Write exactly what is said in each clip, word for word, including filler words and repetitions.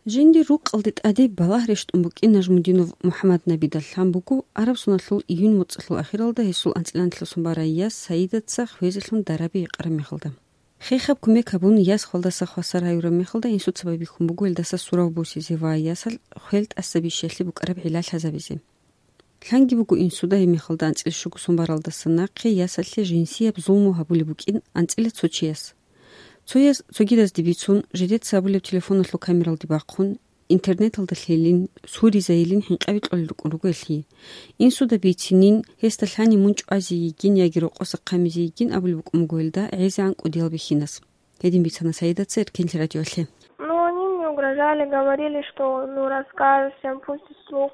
Жиндир рукъалде тӀаде балагь рещтӀун букӀин Нажмудинов МухӀаммаднабида лъан буго, араб соналъул июнь моцӀалъул ахиралда гьесул анцӀила анкьалъусан барай яс Саидаца хвезелъун дараби гьекъараб мехалда. Хехаб кумек гьабун, яс хвалдаса хвасар гьаюраб мехалда инсуца байбихьун буго гьелдаса сурав босизе ва ясалъ хвел тӀаса бищиялъе букӀараб гӀилла лъазабизе. Лъанги буго инсуда гьеб мехалда анцӀила щуго сон баралдаса нахъе ясалъе жинсияб зулму гьабулеб букӀин анцӀила цо чияс. Цояс цогидазде бицун, жидеца абулеб телефоналъул камералде бахъун, интернеталда лъелин, суризайилин хӀинкъаби кьолел рукӀун руго гьелъие. Инсуда бицинин, гьесда лъани мун чӀвазе йигин яги рокъоса хъамизе йигин абулеб букӀун буго гьелда гӀезегӀан кӀудиял бихьинас. Гьедин бицана Саидаца Эркенлъи радиоялъе. Ну, они мне угрожали, говорили, что, ну, расскажешь всем, пустишь слух.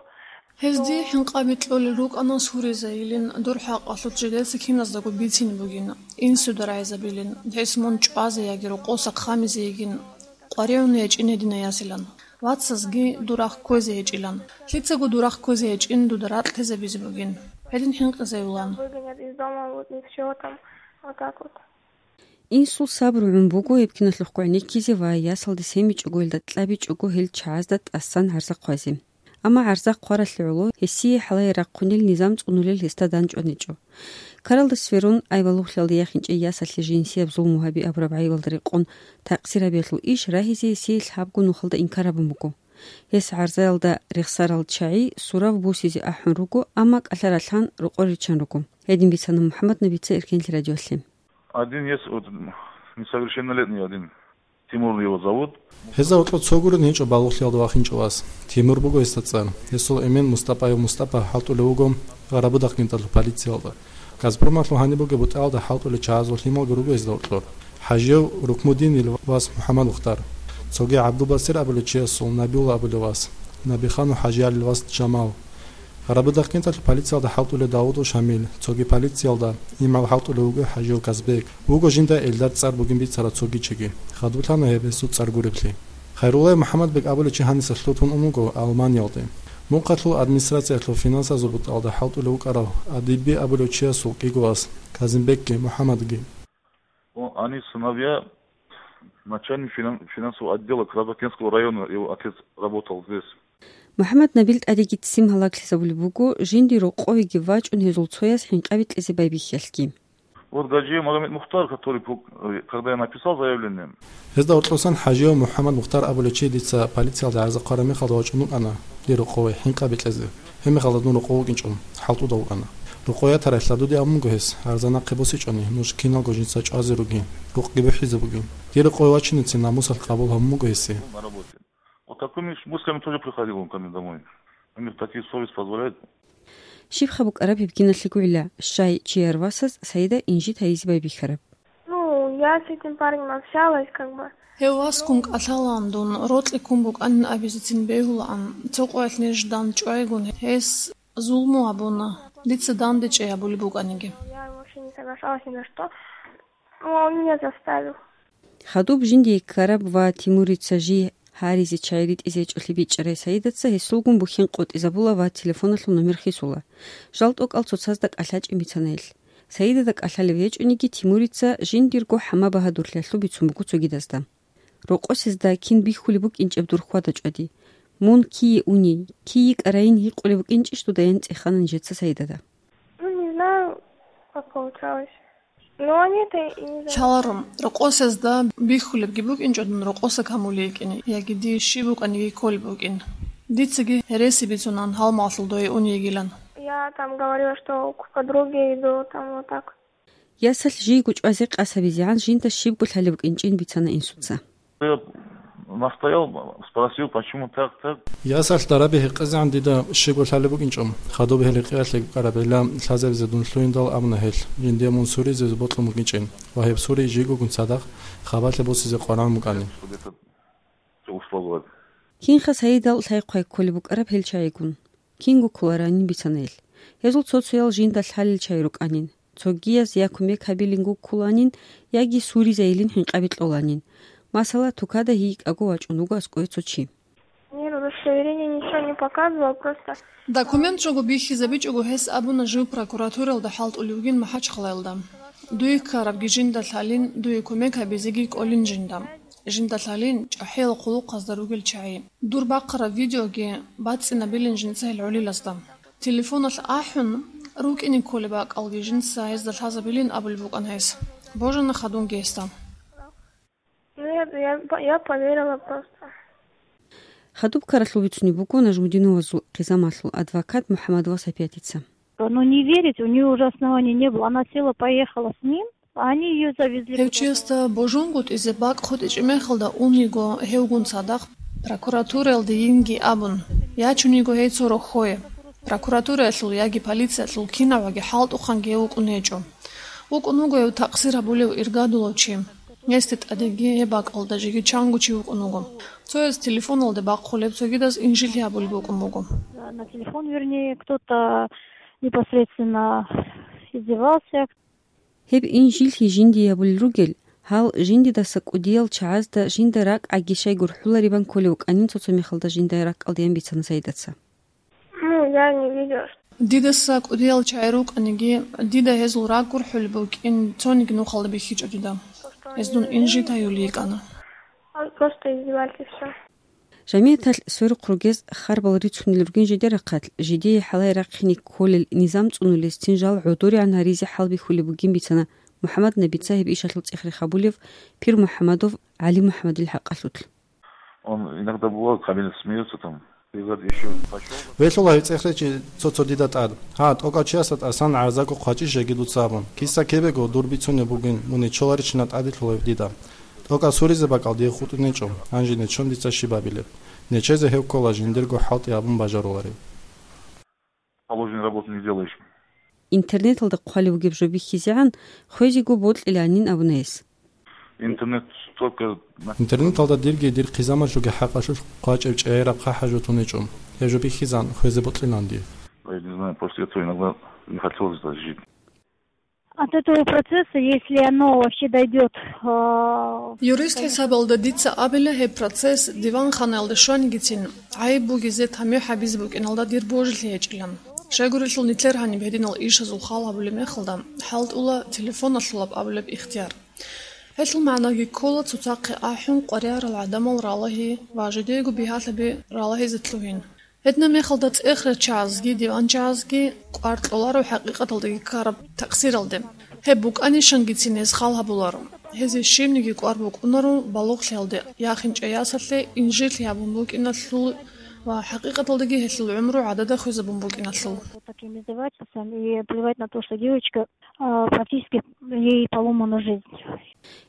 Гьезде хӀинкъаби кьолел рукӀана суризайилин, дур хӀакъалъулъ жидеца киназдаго бицин бугин, инсуда рагӀизабилин, гьес мун чӀвазе яги рокъоса хъамизе йигин, къваригӀун гьечӀин гьедина ясилан. Вацасги дурахъ кквезе гьечӀилан. Лъицаго дурахъ кквезе гьечӀин дуда ракь тезабизе бугин. Гьедин хӀинкъизайулан. Выгонят из дома, вот и всё там, вот так вот. Инсул сабру гӀун буго гьеб киналъухъ гӀенеккизе ва ясалде семичӀого гьелда кьабичӀого гьел чагӀазда тӀасан гӀарза хъвазе. Амма гӀарза хъваралъе гӀоло гьесие хӀалае рахъунел низам цӀунулел гьесда данчӀваничӀо. Ккаралда сверун, айвалугълъиялда яхинчӀей ясалъе жинсияб зулму гьаби абураб гӀайибалда рекъон такъсир гьабиялъул иш рагьизе гьесие лъабго нухалда инкар гьабун буго. Гьес гӀарзаялда рехсарал чагӀи сурав босизе ахӀун руго, амма кӀалъа ралъан рокъор риччан руго. Гьедин бицана МухӀаммаднабица Эркенлъи радиоялъе. Один есть, вот, несовершеннолетний один. Тимур его зовут. Гьезда гьоркьоб цо гурин гьечӀо балугълъиялда вахинчӀо вас. Тимур буго гьесда цӀар. Гьесул эмен Мустапаев Мустапа хӀалтӀулев вуго Гъарабудахъ гинтӀалъул полициялда. Газпромалъул гьаниб бугеб бутӀаялда хӀалтӀулел чагӀазул лъималго руго гьезда гьоркьор. ХӀажияв Рукмудинил вас МухӀаммад Мухтар. Цоги ГӀабдулбасир абулев чиясул Набиулла абулев вас. Набиханов ХӀажиялил вас Жамал. Гъарабудахъ гинтӀалъул полициялда хӀалтӀулев Давудов Шамил, цоги полициялда имгӀал хӀалтӀулев вуго ХӀажияв Казбек. Вуго жинда Эльдар цӀар бугин бицарав цоги чиги. Хадурлъана гьеб гьесул цӀар гуреблъи. Хайруллаев МухӀаммадбек абулев чи гьаниса лъутун ун вуго Алманиялде. Мухъалъул администрациялъул финансазул бутӀалда хӀалтӀулев вукӀарав Адибби абулев чиясул кӀиго вас, Казимбекги, МухӀаммадги. О, они сыновья начальник финан-, финансового отдела Карабудахкентского района, его отец работал здесь. МухӀаммаднабил тӀадеги ццин гьалаглъизабулеб буго, жиндир рокъовеги вачӀун гьезул цояс хӀинкъаби кьезе байбихьиялъги. Вот Гаджиев Магомед Мухтар, который, пу-, э, когда я написал заявление. Гьезда гьоркьосан ХӀажияв МухӀаммад Мухтар абулев чи дица полициялда гӀарза хъвараб мехалда вачӀун вукӀана дир рокъове хӀинкъаби кьезе. Гьеб мехалда дун рокъов вукӀинчӀо, хӀалтӀуда вукӀана. Рокъов ятарай лъадуде абун буго гьес, гӀарза нахъе босичӀони, нуж киналго жинца чӀвазе ругин, рукъги бухӀизе бугин. Дир рокъове вачиницин намусалъ къабул гьабун буго гьесие. На работе. Вот такими ж мыслями тоже приходил он ко мне домой. У них такие совесть позволяет. Щибха букӀараб гьеб киналъего гӀилла, щай чияр васас Саида инжит гьайизе байбихьараб? Ну, я с этим парнем общалась, как бы. Гьев васгун кӀалъалаан дун, рокьи ккун букӀанин абизецин бегьулаан, цо къоялъ ниж дандчӀвайгун, гьес зулму гьабуна, дица дандечӀей гьабулеб букӀаниги. Я вообще не соглашалась ни на что. Ну, он меня заставил. Хадуб жиндие ккараб ва Тимурица жий гьаризе чай ритӀизе гьечӀолъи бичӀчӀарай Саидаца гьесулгун бухьен къотӀизабула ва телефоналъул номер хисула. Жал тӀокӀал цоцазда кӀалъачӀин бицана гьелъ. Саидада кӀалъалев гьечӀониги, Тимурица жиндирго хӀама-багьадурлъиялъул бицун буго цогидазда. Рокъосезда кин бихьулеб букӀинчӀеб дур хьвада-чӀвади. Мун кие уни, кий йикӀарайин гьикъулеб букӀинчӀищ дуда ян цӀехана нижеца Саидада. Ну, не знаю, как получалось. Но они это и не заметили. Лъаларо, рокъосезда бихьулебги букӀинчӀо дун рокъоса камулей йикӀине, яги дие щиб букӀаниги кколеб букӀин. Дицаги гьереси бицунан гьалмагълъул дое ун йигилан. Я там говорила, что к подруге иду, там вот так. Ясалъ жийго чӀвазе къасабизегӀан жинда щибго лъалеб букӀинчӀин бицана инсуца. Я настоял, спросил, почему так, так. Ясалъ дараби гьекъезегӀан дида щибго лъалеб букӀинчӀо, хадуб гьел гьекъеялъе ккарабила лъазабизе дун лъугьиндал абуна гьелъ, жиндие мун суризе бокьун букӀинчӀин ва гьеб сури жийгогун цадахъ хабалъе босизе къваригӀун букӀани. Что условия? Кинха Саидал лъай-хъвай кколеб букӀараб гьел чагӀигун? Кинго кколаранин бицана гьелъ. Гьезул цо-цоял жинда лъалел чагӀи рукӀанин. Цогияз я кумек гьабилинго кколанин, яги суризайилин хӀинкъаби кьоланин. Масала, тукада гьикӀаго вачӀун вуго аскӀове цо чи. Мне удостоверение ничего не показывал, просто. Документ жого бихьизабичӀого гьес абуна жив прокуратуралда хӀалтӀулев вугин МахӀачхъалаялда. Дуе ккарабги жинда лъалин, дуе кумек гьабизеги кӀолин жинда. Жинда лъалин чӀахӀиял хъулухъазда ругел чагӀи. Дур бахъараб видеоги бацӀцӀинабилин жинца гьел гӀолилазда. Телефоналъ ахӀун, рукӀине кколеб бакӀалги жинца гьезда лъазабилин абулеб букӀана гьес. Божана хадубги гьесда. Ну, я, я, я поверила просто. Хадуб ккаралъул бицунеб буго Нажмудиновазул хъизамалъул адвокат МухӀаммадова Сапиятица. Ну, не верить, у неё уже оснований не было. Она села, поехала с ним, а они её завезли Гьев куда-то. Чиясда божунгутӀизе бакӀ хутӀичӀеб мехалда униго гьевгун цадахъ прокуратураялде йинги абун, ячун йиго гьей цо рохьое. Прокуратураялъул яги полициялъул кинаваги хӀалтӀухъанги гьев вукӀун гьечӀо. ВукӀун вуго гьев такъсир гьабулев иргадулав чи. Гьесде тӀадеги гьеб бакӀалда жеги чанго чи вукӀун вуго. Цояз телефоналде бахъулеб, цогидаз инжит гьабулеб букӀун буго. На телефон, вернее, кто-то непосредственно издевался. Гьеб инжит жинди гьабулел ругел, гьал жиндидаса кӀудиял чагӀазда жинда ракӀаги щай гурхӀуларебан кколев вукӀанин цо-цо мехалда жинда ракӀалдеян бицана Саидаца. Ну, я не видела, что Дидаса кӀудиял чагӀи рукӀаниги, дида гьезул ракӀ гурхӀулеб букӀин цониги нухалда бихьичӀо дида. Гьез дун инжит гьаюл йикӀана. Он просто издевались и всё. Жамигьаталъ сверухъ ругез харбал рицунел ругин жидер рахъалъ, жидее хӀалае рахъине кколел низам цӀунулесцин жал гӀодоригӀан гьаризе хӀалбихьулеб бугин бицана МухӀаммад-Набица гьеб ишалъул цӀех-рех гьабулев пир МухӀаммадов ГӀали МухӀаммадил хӀакъалъулъ. Он иногда бывает, Камил смеётся там. Бегает ещё пошёл. Велъула гьев цӀех-речи цо-цо дида тӀад. Гьа, тӀокӀав чиясда тӀасан гӀарзаго хъвачӀищ жеги дуца абун. Киса-кебего дур бицунеб бугин, мун нечоларищина тӀаделъулев дида. ТӀокӀав суризе бакӀал дие хутӀунечӀо, гьанже нечон дица щиб абилеб? Нечезе гьев ккола жиндирго хӀалтӀи абун бажаруларев. Положенную работу не делаешь. Интернеталда хъвалев вугеб жо бихьизегӀан, хвезего бокьиланин абуна гьес. Интернет только на Интернеталда дирги дир хъизамалъулги хӀакъалъулъ хъвачӀеб чӀегӀераб хъахӀаб жо тунечӀо. Гьеб жо бихьизан хвезе бокьилан дие. Я не знаю, после этого иногда не хотелось даже жить. От этого процесса, если оно вообще дойдёт, а, Юрист хӀисабалда дица абила, гьеб процесс диванханаялда щванигицин, гӀайиб бугезе тамихӀ гьабизе букӀиналда дир божилъи гьечӀилан. Щайгурелъул нилъер гьаниб гьединал ишазул хал гьабулеб мехалда, хӀалтӀула телефоналъулаб абулеб ихтияр. Гьелъул магӀнаги ккола цоцахъе ахӀун къваригӀарал гӀадамал ралагьи ва жидеего бигьалъаби ралагьизе лъугьин. Гьединаб мехалда цӀех-речагӀазги диванчагӀазги кӀвар кьоларо хӀакъикъаталдаги ккараб такъсиралде. Гьеб букӀанищангицин гьез хал гьабуларо. Гьезие щибниги кӀвар букӀунаро балугълъиялде, яхинчӀей ясалъе инжитлъи гьабун букӀиналъул ва хӀакъикъаталдаги гьелъул гӀумру гӀадада хвезабун букӀиналъул. Вот таким издевательством и плевать на то, что девочка, а, практически ей поломана жизнь.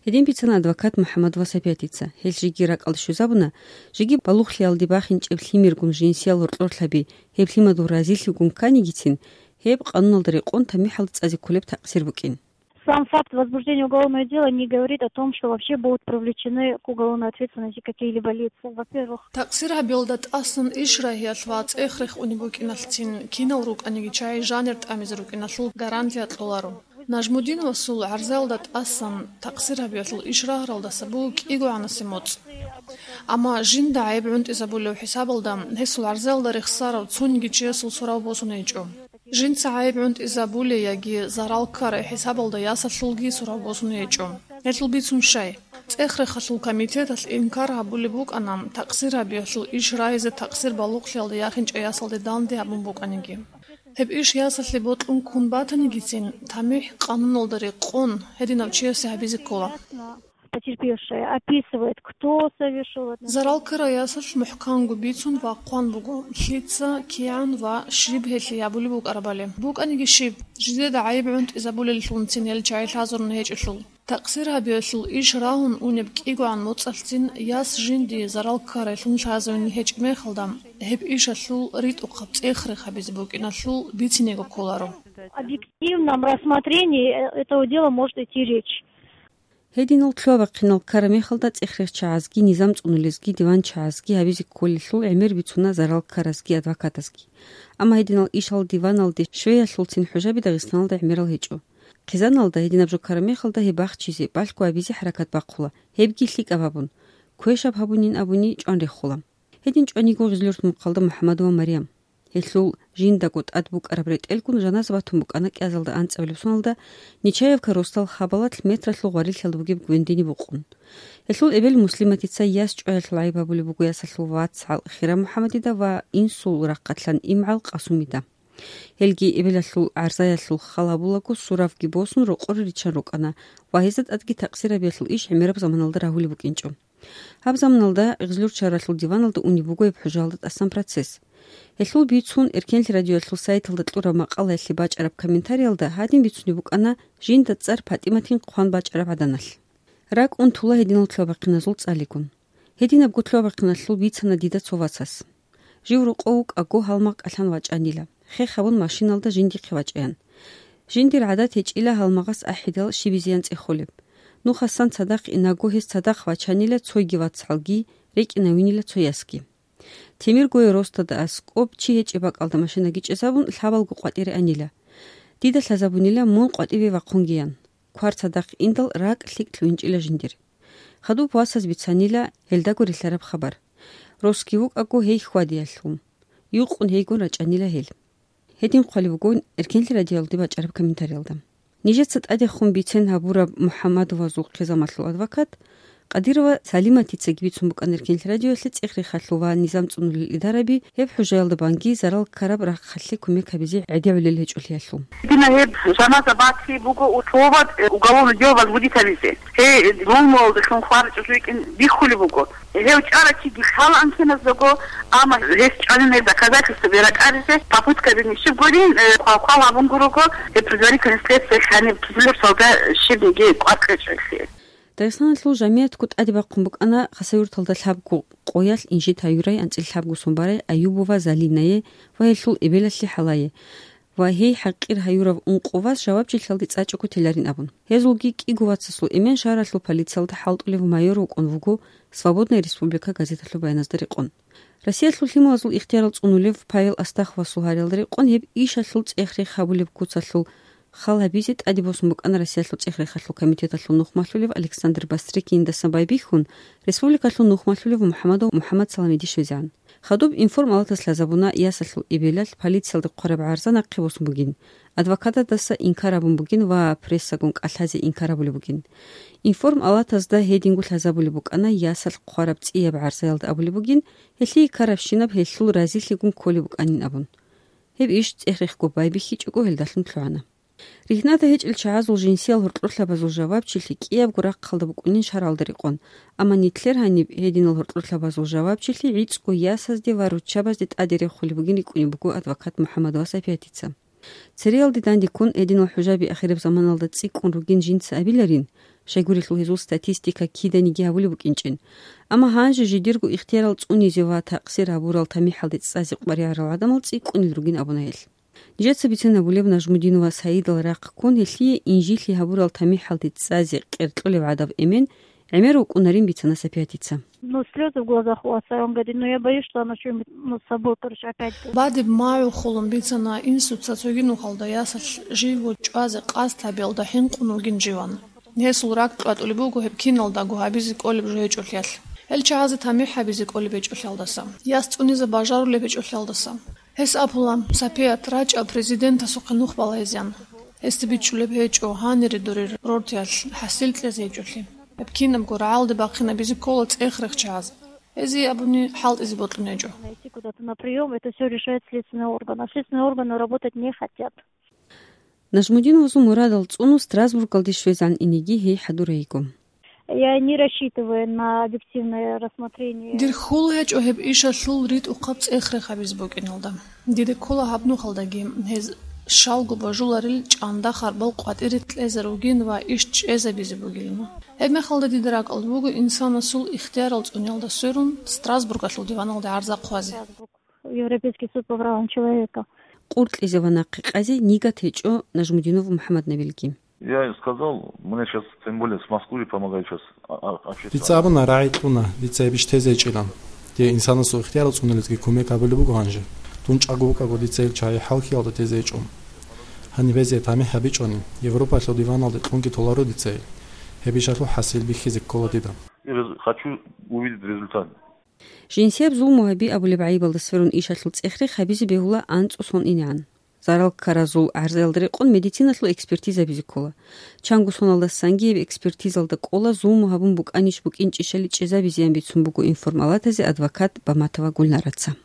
Гьедин бицана адвокат МухӀаммадова Сапиятица. Гьел жеги ракӀалде щвезабуна, жеги балугълъиялде бахинчӀеб лъимергун жинсиял гьоркьорлъаби, гьеб лъимадул разилъигун кканигицин, гьеб къануналда рекъон тамихӀалда цӀазе кколеб такъсир букӀин. Сам факт возбуждения уголовного дела не говорит о том, что вообще будут привлечены к уголовной ответственности какие-либо лица. Во-первых, Такъсир гьабиялда тӀасан иш рагьиялъ ва цӀех-рех унеб букӀиналъцин кинал рукӀаниги чагӀи жанир тӀамизе рукӀиналъул гарантия кьоларо. Нажмудиновасул гӀарзаялда тӀасан такъсир гьабиялъул иш рагьаралдаса буго кӀигогӀанасе моцӀ. Амма жинда гӀайиб гӀунтӀизабулев хӀисабалда гьесул гӀарзаялда рехсарав цониги чиясул сурав босун гьечӀо. Жинца гӀайиб гӀунтӀизабулей яги зарал ккарай хӀисабалда ясалъулги сурав босун гьечӀо. Гьелъул бицун щай? ЦӀех-рехалъул комитеталъ инкар гьабулеб букӀана такъсир гьабиялъул иш рагьизе такъсир балугълъиялда яхинчӀей ясалде данде гьабун букӀаниги. Гьеб иш ясалъе бокьун ккун батанигицин, тамихӀ къануналда рекъон гьединав чиясе гьабизе ккола. Потерпевшая описывает, кто совершил это. Зарал ккарай ясалъ мухӀканго бицун ва хъван буго, лъица, кигӀан ва щиб гьелъие гьабулеб букӀарабали. БукӀаниги щиб, жидеда гӀайиб гӀунтӀизабулеллъунцин гьел чагӀи лъазарун гьечӀелъул. Такъсир гьабиялъул иш рагьун унеб кӀигогӀан моцӀалъцин яс жиндие зарал ккарайлъун лъазавине гьечӀеб мехалда, гьеб ишалъул ритӀухъаб цӀех-рех гьабизе букӀиналъул бицинего кколаро. Объективном рассмотрении, э, этого дела может идти речь. Гьединал лъугьа-бахъинал ккараб мехалда цӀех-рехчагӀазги, низам цӀунулезги, диванчагӀазги гьабизе кколелъул гӀемер бицуна зарал ккаразги адвокатазги. Амма гьединал ишал диваналде щвеялъулцин хӀужаби Дагъистаналда гӀемерал гьечӀо. Хъизаналда гьединаб жо ккараб мехалда гьеб бахчизе, балъго гьабизе хӀаракат бахъула, гьебги лъикӀаб гьабун, квешаб гьабунин абуни чӀван рехула. Гьедин чӀваниго Гъизлёрт мукъалда МухӀаммадова Марям. Гьелъул жиндаго тӀад букӀараб ретӀелгун жаназа батун букӀана кӀиазалда анцӀабилеб соналда Нечаевка росдал хабалалъ метралъул гъварилъиялда бугеб гвендине букъун. Гьелъул эбел Муслиматица яс чӀваялъул гӀайиб гьабулеб буго ясалъул вацгӀал Хира МухӀаммадида ва инсул рахъалъан имгӀал Къасумида. Гьелги эбелалъул гӀарзаялъул хал гьабулаго суравги босун рокъоре риччан рукӀана ва гьезда тӀадги такъсир гьабиялъул иш гӀемераб заманалда рагьулеб букӀинчӀо. Гьаб заманалда Гъизлюрчагьаралъул диваналда унеб буго гьеб хӀужаялда тӀасан процесс. Гьелъул бицун Эркенлъи радиоялъул сайталда кьураб макъалаялъе бачӀараб комментариялда гьадин бицунеб букӀана жинда цӀар ПатӀиматин хъван бачӀараб гӀаданалъ. РакӀ унтула гьединал лъугьа-бахъиналъул цӀалигун. Гьединабго лъугьа-бахъиналъул бицана дида цо вацас. Жив рокъов вукӀаго гьалмагъ кӀалъан вачӀанила, хех гьабун машиналда жиндихъе вачӀаян. Жиндир гӀадат гьечӀила гьалмагъас ахӀидал щибизеян цӀехолеб. Нухасан цадахъ инаго гьес цадахъ вачанила цойги вацгӀалги, рекӀинавинила цо ясги. Темиргое росдада аскӀоб чи гьечӀеб бакӀалда машинаги чӀезабун, лъабалго къватӀире анила. Дида лъазабунила мун къватӀибе вахъунгеян. Квар цадахъ индал ракӀ лъикӀ лъугьинчӀила жиндир. Хадуб васаз бицанила гьелдаго рилълъараб хабар. Росги вукӀаго гьей хьвадиялъул. Юкъун гьейгун рачӀанила гьел. Гьедин хъвалеб бугон Эркенлъи радиоялде бачӀараб комментариялда. Нижеца тӀадехун бицен гьабураб МухӀаммадовазул хъизамалъул адвокат Къадирова Салиматицаги бицун букӀана Эркенлъи радиоялъе цӀех-рехалъул ва низам цӀунулел идараби гьеб хӀужаялда банги зарал ккараб рахъалъе кумек гьабизе гӀедегӀулел гьечӀолъиялъул. Дина гьеб жаназа бати буго условат, э, уголовный дело возбудить гьабизе. Гьей, Лулмуалдалъун хварачӀо жуйкӀин биххулеб буго. Гьев чӀарачиги лъала анкеназдаго, амма гьес чӀвалинай доказательстваби ракӀаризе попытка бинищиб гурин, э, хъвал-хъвал гьабун гурого, э, предварительный следствие лъаниб кизилурсалда щибниги кӀвар кьечӀелъи. Дагъистаналъул жамигӀатго тӀаде бахъун букӀана Хасавюрталда лъабго къоялъ инжит гьаюрай анцӀила лъабго сон барай Аюбова Залинае ва гьелъул эбелалъе ХӀалае. Ва гьей хӀакъир гьаюрав ункъо вас жавабчилъиялде цӀачӀого теларин абун. Гьезулги кӀиго вацасул эмен шагьаралъул полициялда хӀалтӀулев майор вукӀун вуго «Свободная республика» газеталъул баяназда рекъон. Россиялъул лъималазул ихтиярал цӀунулев Павел Астаховасул гьариялда рекъон гьеб ишалъул цӀех-рех гьабулеб куцалъул хал гьабизе тӀаде босун букӀана Россиялъул цӀех-рехалъул комитеталъул нухмалъулев Александр Бастрыкиндасан байбихьун, республикалъул нухмалъулев МухӀамадов МухӀаммад Саламиде щвезегӀан. Хадуб информалатас лъазабуна ясалъул эбелалъ полициялда хъвараб гӀарза нахъе босун бугин, адвокатадаса инкар гьабун бугин ва прессагун кӀалъазе инкар гьабулеб бугин. Информалатазда гьединго лъазабулеб букӀана ясалъ хъвараб цӀияб гӀарзаялда абулеб бугин, гьелъие ккарабщинаб гьелъул разилъигун кколеб букӀанин абун. Гьеб иш цӀех-рехго байбихьичӀого гьелдалъун лъугӀана. Ригьнада гьечӀел чагӀазул жинсиял гьоркьорлъабазул жавабчилъи кӀиябго рахъалда букӀунин шаргӀалда рекъон, амма нилъер гьаниб гьединал гьоркьорлъабазул жавабчилъи гӀицӀго ясазде ва руччабазде тӀаде рехулеб бугин рикӀкӀунеб буго адвокат МухӀаммадова Сапиятица. Цереялде дандеккун гьединал хӀужаби ахираб заманалда цӀикӀкӀун ругин жинца абиларин, щайгурелъул гьезул статистика киданиги гьабулеб букӀинчӀин. Амма гьанже жидерго ихтиярал цӀунизе ва такъсир гьабурал тамихӀалде цӀазе къваригӀарал гӀадамал цӀикӀкӀунел ругин абуна гьелъ. Нижеца бицен абулеб Нажмудинова Саидал рахъ ккун, гьелъие инжилъи гьабурал тамихӀалде цӀазе къеркьулев гӀадаб эмен гӀемер вукӀунарин бицана Сапиятица. Ну, слезы в глазах у отца, он говорит: «Ну, я боюсь, что она что-нибудь, ну, с собой, короче, опять». Бадиб магӀу хулун бицана инсуца цоги нухалда ясалъ живго чӀвазе къасд гьабиялда хӀинкъун вугин живан. Гьесул ракӀ кьватӀулеб буго гьеб киналдаго гьабизе кӀолеб жо гьечӀолъиялъ. Гьел чагӀазе тамихӀ гьабизе кӀолеб гьечӀолъиялдаса, яс цӀунизе бажарулеб гьечӀолъиялдаса. Гьес абула, Сапият, рачӀа президентасухъе нух балагьизеян. Гьесда бичӀчӀулеб гьечӀо гьанире дурер рортиялъ хӀасил кьезе гьечӀолъи. Гьеб кинабго рагӀалде бахъинабизе ккола цӀех-рех чагӀаз. Гьезие абуни хӀалтӀизе бокьун гьечӀо. Найти куда-то на приём, это всё решает следственный орган. А следственные органы работать не хотят. Нажмудиновазул мурадал цӀуну Страсбургалде щвезегӀан инеги гьей хӀадурай йиго. Я не рассчитываю на объективное рассмотрение. Дир хьул гьечӀо гьеб ишалъул ритӀухъаб цӀех-рех гьабизе букӀиналда. Дида ккола гьаб нухалдаги гьез щалго божуларел чӀанда харбал къватӀире кьезе ругин ва иш чӀезабизе бугилан. Гьебмехалда дида ракӀалда буго инсанасул ихтиярал цӀуниялда сверун Страсбургалъул диваналде гӀарза хъвазе. Европейский суд по правам человека. Къуркьизе ва нахъе къазе нигат гьечӀо Нажмудинов МухӀаммаднабилги. Я сказал, мне сейчас, тем более с Москвы помогают сейчас, а, а, общество. Дица абуна, рагӀи кьуна, дица гьеб иш тезе гьечӀилан. Дие инсанасул ихтиярал цӀунулезги кумек гьабулеб буго гьанже. Дун чӀаго вукӀаго дица гьел чагӀи хӀалхьиялда тезе гьечӀо. Гьаниб гьезие тамихӀ гьабичӀони, Европалъул диваналде кьунги толаро дица гьел. Гьеб ишалъул хӀасил бихьизе ккола дида. Я хочу увидеть результат. Жинсияб зулму гьаби абулеб гӀайибалда сверун ишалъул цӀех-рех гьабизе бегьула анцӀу сон инегӀан. Зарал ккаразул гӀарзаялда рекъон медициналъул экспертиза гьабизе ккола. Чанго соналдасанги гьеб экспертизалда кӀола зулму гьабун букӀанищ-букӀинчӀищали чӀезабизеян бицун буго информалатазе адвокат Баматова Гульнараца.